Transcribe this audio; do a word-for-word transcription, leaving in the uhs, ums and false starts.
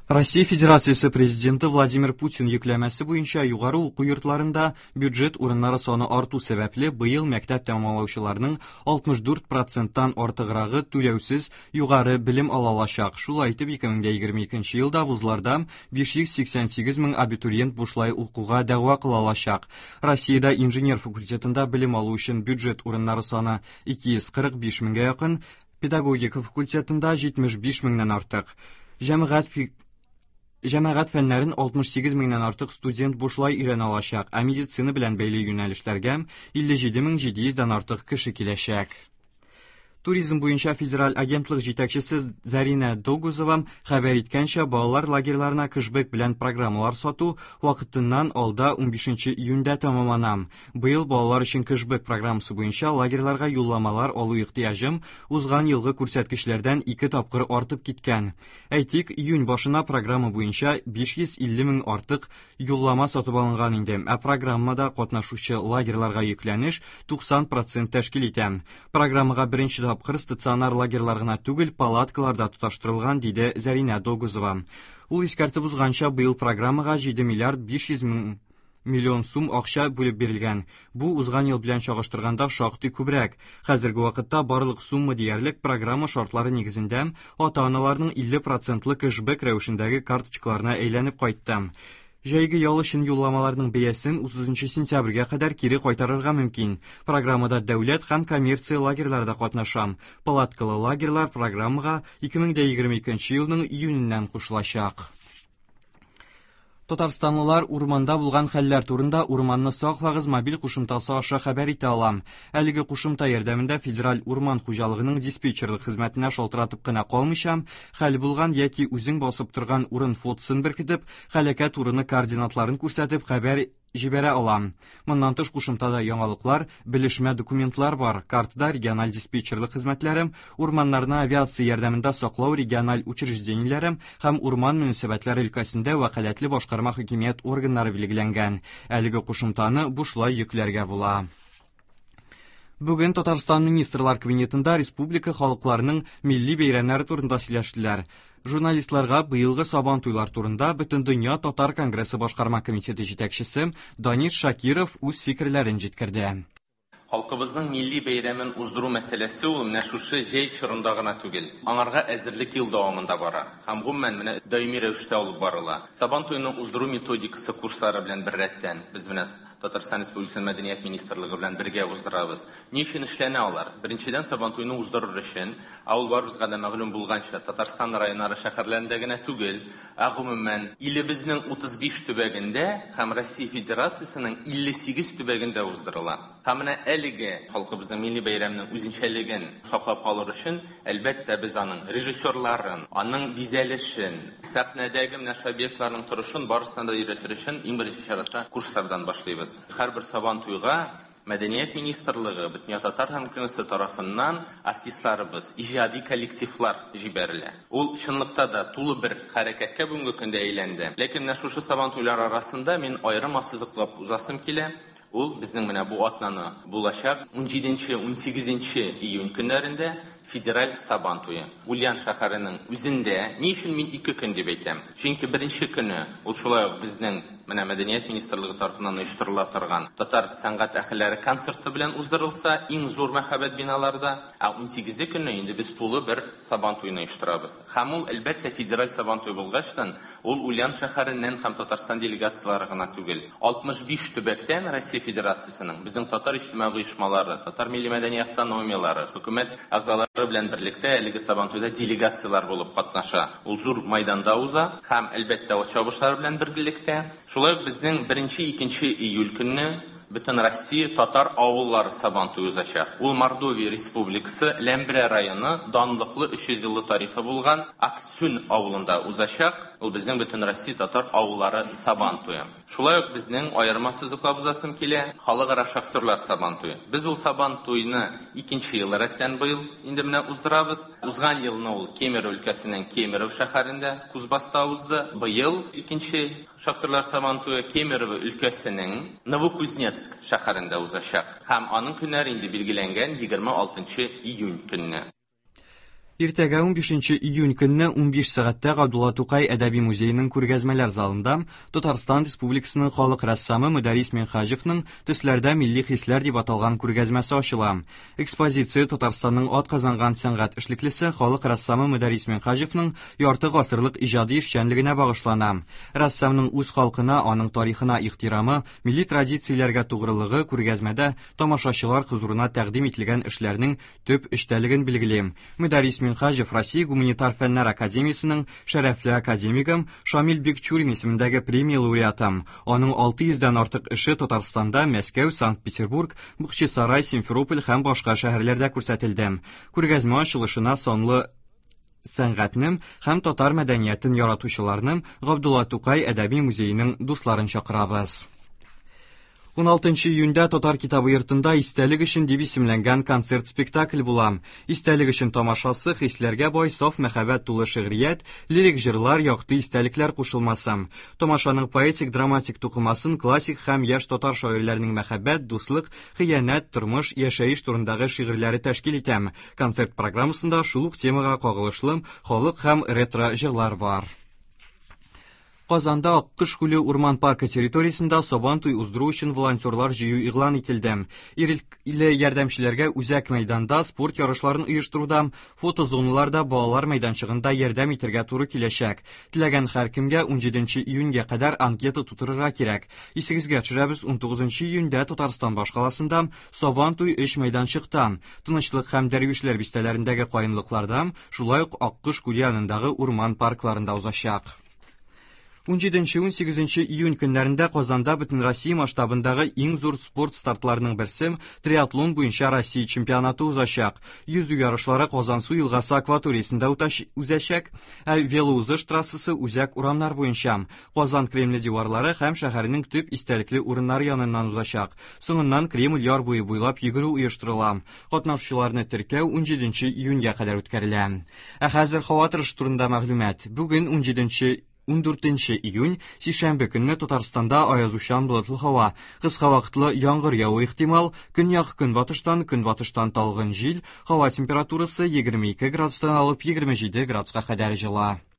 Россия Федерациясе Президенты Владимир Путин йөкләмәсе буенча югары уку йортларында бюджет урыннары саны арту сәбәпле, быел мәктәп тәмамлаучыларның алтмыш дүрт проценттан артыграгы түләүсез югары белем ала алачак. Шулай итеп, ике мең дә егерме икенче елда вузларда биш йөз сиксән сигез мең абитуриент бушлай укуга дәгъва кыла алачак. Россиядә инженер факультетында белем алу өчен бюджет урыннары саны ике йөз кырык биш меңгә якын, педагогика факультетында җитмеш биш меңнән артык. Җәмәгать фи-, Җәмәгать фәннәрен алтмыш сигез меңнән артык студент бушлай өйрәнә алачак, ә медицина белән бәйле юнәлешләргә илле җиде мең җиде йөздән артык кеше киләчәк. Туризм буенча федераль агентлык җитәкчесе Зарина Догузова хәбәр иткәнчә, балалар лагерьларына кэшбэк белән программалар сату вакытыннан алда унбишенче июньдә тәмамлана. Быел балалар өчен кэшбэк программасы буенча лагерьларга юлламалар алу ихтыяҗым узган елгы күрсәткечләрдән ике тапкыр артып киткән. Әйтик, июнь башына программа буенча биш йөз илле мең артык юллама сатып алынган инде, ә программада катнашучы лагерьларга йөкләнеш туксан процент тәшкил итә. Программага беренче тапкыр стационар лагерьлар гына түгел, палаткалар да тоташтырылган, диде Зарина Догузова. Ул искәртеп узганча, быел программага җиде миллиард биш йөз мең миллион сум акча бүлеп бирелгән. Бу узган ел белән чагыштырганда шактый күбрәк. Хәзерге вакытта барлык сумма диярлек программа шартлары нигезендә ата-аналарның илле процентлы кэшбэк рәвешендәге карточкаларына әйләнеп кайтты. Җәйге ял өчен юлламаларның бәясен утызынчы сентябрьгә кадәр кире кайтарырга мөмкин. Программада дәүләт һәм коммерция лагерьлары да катнаша. Палаткалы лагерьлар программага ике мең дә егерме икенче елның июненнән кушылачак. Татарстанлылар урманда булган хәлләр турында Урманны саклагыз мобиль кушымтасы аша хәбәр итә ала. Әлеге кушымта ярдәмендә Федераль урман хуҗалыгының диспетчерлык хезмәтенә шалтыратып кына калмыйча, хәл булган яки үзең басып торган урын фотосын беркетеп, һәлакәт урыны координатларын күрсәтеп хәбәр җибәрә алам. Моннан тыш кушымтада яңалыклар, белешмә документлар бар. Картада региональ диспетчерлык хезмәтләре, урманнарны авиация ярдәмендә саклау региональ учреждениеләре һәм урман мөнәсәбәтләре өлкәсендә вәкаләтле башкарма хакимият органнары билгеләнгән. Әлеге кушымтаны бушлай йөкләргә була. Бүген Татарстан Министрлар Кабинетында республика халыкларының милли бәйрәмнәре турында сөйләштеләр. Журналистларга быелгы Сабан туйлар турында Бөтендөнья Татар Конгрессы башкарма комитеты җитәкчесе Данис Шакиров үз фикерләрен җиткерде. Халкыбызның милли бәйрәмен уздыру мәсьәләсе ул менә шушы җәй чорында гына түгел. Аңарга әзерлек ел дәвамында бара. Һәм гомумән менә даими рәвештә алып барыла. Сабан туеның уздыру методикасы курслары белән беррәттән без менә Татарстан Республикасы Мәдәният Министрлыгы белән бергә уздырабыз. Ни өчен эшләнә алар? Беренчедән, Сабан туйны уздырыр өчен, ә ул барыбызга да мәгълүм булганча, Татарстан районнары шәһәрләрендә генә түгел, ә гомумән илебезнең утыз биш төбәгендә һәм Россия Федерациясенең илле сигез төбәгендә уздырыла. Һәм менә әлеге халкыбызның милли бәйрәменең үзенчәлеген саклап калыр өчен, әлбәттә, без аның режиссерларын, аның бизәлешен, сәхнәдәге менә шул объектларның торышын барысына да өйрәтер өчен иң беренче чиратта курслардан башлыйбыз. Һәрбер Сабан туйга Мәдәният Министрлыгы, Бөтендөнья Татар Конгрессы тарафыннан артистларыбыз, иҗади коллективлар җибәрелә. Ул чынлыкта да тулы бер хәрәкәткә бүгенге көндә әйләнде. Ләкин менә шушы Сабан туйлары арасында мин аерым ассызыклап узасым килә. Ул безнең менә бу атнаны булачак ун җиденче, ун сигезенче июнь көннәрендә федераль Сабан туе. Ульян шәһәренең үзендә. Ни өчен мин ике көн дип әйтәм? Чөнки беренче көне ул шулай ук безнең менә Мәдәният Министрлыгы тарафыннан оештырыла торган татар сәнгать әһелләре концерты белән уздырылса, иң зур мәһабәт биналарда, ә ун сигезе көне инде без тулы бер Сабан туен оештырабыз. Һәм ул, әлбәттә, федераль Сабан туе булгачтан, ул Ульян шәһәреннән һәм Татарстан делегацияләре гына түгел. алтмыш биш төбәктән Россия Федерациясенең безнең татар иҗтимагый оешмалары, татар милли мәдәни автономияләре, хөкүмәт әгъзалары белән берлектә әлеге Сабан туйда делегацияләр булып катнаша. Ул зур майданда уза һәм, әлбәттә, ат чабышлары белән берлектә. Шулай ук безнең беренче, икенче июль көнне Бөтен Россия татар авыллары Сабан туе узачак. Ул Мордовия Республикасы Ләмбрә районы данлыклы өч йөз еллы тарихы булган Аксүн авылында узачак. Ул безнең Бөтен Россия татар авыллары Сабан туе. Шулай ук безнең аерма сызыклап узасым килә, халыкара шахтерлар Сабан туе. Без ул Сабан туйны икенче ел рәттән быел инде менә уздырабыз. Узган елны ул Кемерово өлкәсенең Кемерово шәһәрендә Кузбасста узды. Быел икенче шахтерлар Сабан туе Кемерово өлкәсенең Новокузнецк шәһәрендә узачак. Һәм аның көннәре инде билгеләнгән егерме алтынчы июнь көнне. Иртәгә унбишенче июнь көнне унбиш сәгатьтә Габдулла Тукай әдәби музееның күргәзмәләр залында Татарстан Республикасының халык рәссамы Мөдәррис Минһаҗевның Төсләрдә милли хисләр дип аталган күргәзмәсе ачыла. Экспозиция Татарстанның атказанган сәнгать эшлеклесе халык рәссамы Мөдәррис Минһаҗевның ярты гасырлык иҗади эшчәнлегенә багышлана. Рәссамның үз халкына, аның тарихына ихтирамы, милли традицияләргә тугрылыгы күргәзмәдә тамашачылар хозурына тәкъдим ителгән эшләрнең төп эчтәлеген билгели. Мөдәррис Минһаҗев Россия Гуманитар фәннәр академиясенең шәрәфле академигы Шамил Бикчурин исемендәге премия лауреаты. Аның алты йөздән артык эше Татарстанда, Мәскәү, Санкт-Петербург, Бахчисарай, Симферополь һәм башка шәһәрләрдә күрсәтелде. Күргәзмә ачылышына санлы сәнгатьнең һәм татар мәдәниятен яратучыларның Габдулла Тукай әдәби музееның дусларын чакырабыз. уналтынчы июньдә Татар китабы йортында Истәлек өчен дип исемләнгән концерт-спектакль була. Истәлек өчен тамашасы хисләргә бай, саф мәхәббәт тулы шигърият, лирик җырлар, якты истәлекләр кушылмасы. Тамашаның поэтик-драматик тукымасын классик һәм яшь татар шагыйрьләренең мәхәббәт, дуслык, хыянәт, тормыш, яшәеш турындагы шигырьләре тәшкил итә. Концерт программасында шул ук темага кагылышлы халык һәм ретро җырлар бар. Казанда Аккош күле урман паркы территориясендә Сабантуй уздыру өчен волонтерлар җыю игълан ителде. Ирекле ярдәмчеләргә үзәк мәйданда спорт ярышларын оештыруда, фотозоналарда балалар мәйданчыгында ярдәм итәргә туры киләчәк. Теләгән һәркемгә унҗиденче июньгә кадәр анкета тутырырга кирәк. Исегезгә төшерәбез, унтугызынчы июньдә Татарстан башкаласында Сабантуй өч мәйданчыкта, Тынычлык һәм Дәрвишләр бистәләрендәге каенлыкларда, шулай ук Аккош күле янындагы урман паркларында узачак. Унҗиденче унсигезенче июнь көннәрендә Казанда бөтен Россия масштабындагы иң зур спорт стартларының берсе триатлон буенча Россия чемпионаты узачак. Йөзү ярышлары Казансу елгасы акваториясендә узачак, ә велоузыш трассасы үзәк урамнар буенча Казан Кремле диварлары һәм шәһәрнең төп истәлекле урыннары яныннан узачак. Соңыннан Кремль яр буе буйлап йөгерү оештырыла. Катнашучыларны теркәү унҗиденче июньгә кадәр үткәрелә. Ә хәзер һава торышы турында мәгълүмат. Бүген унҗиденче ундүртенче июнь, сишәмбе көнне Татарстанда аязучан болытлы һава, кыска вакытлы яңгыр яву ихтимал, көньяк көнбатыштан, көнбатыштан талгын җил, һава температурасы егерме ике градустан алып егерме җиде градуска кадәр җыла.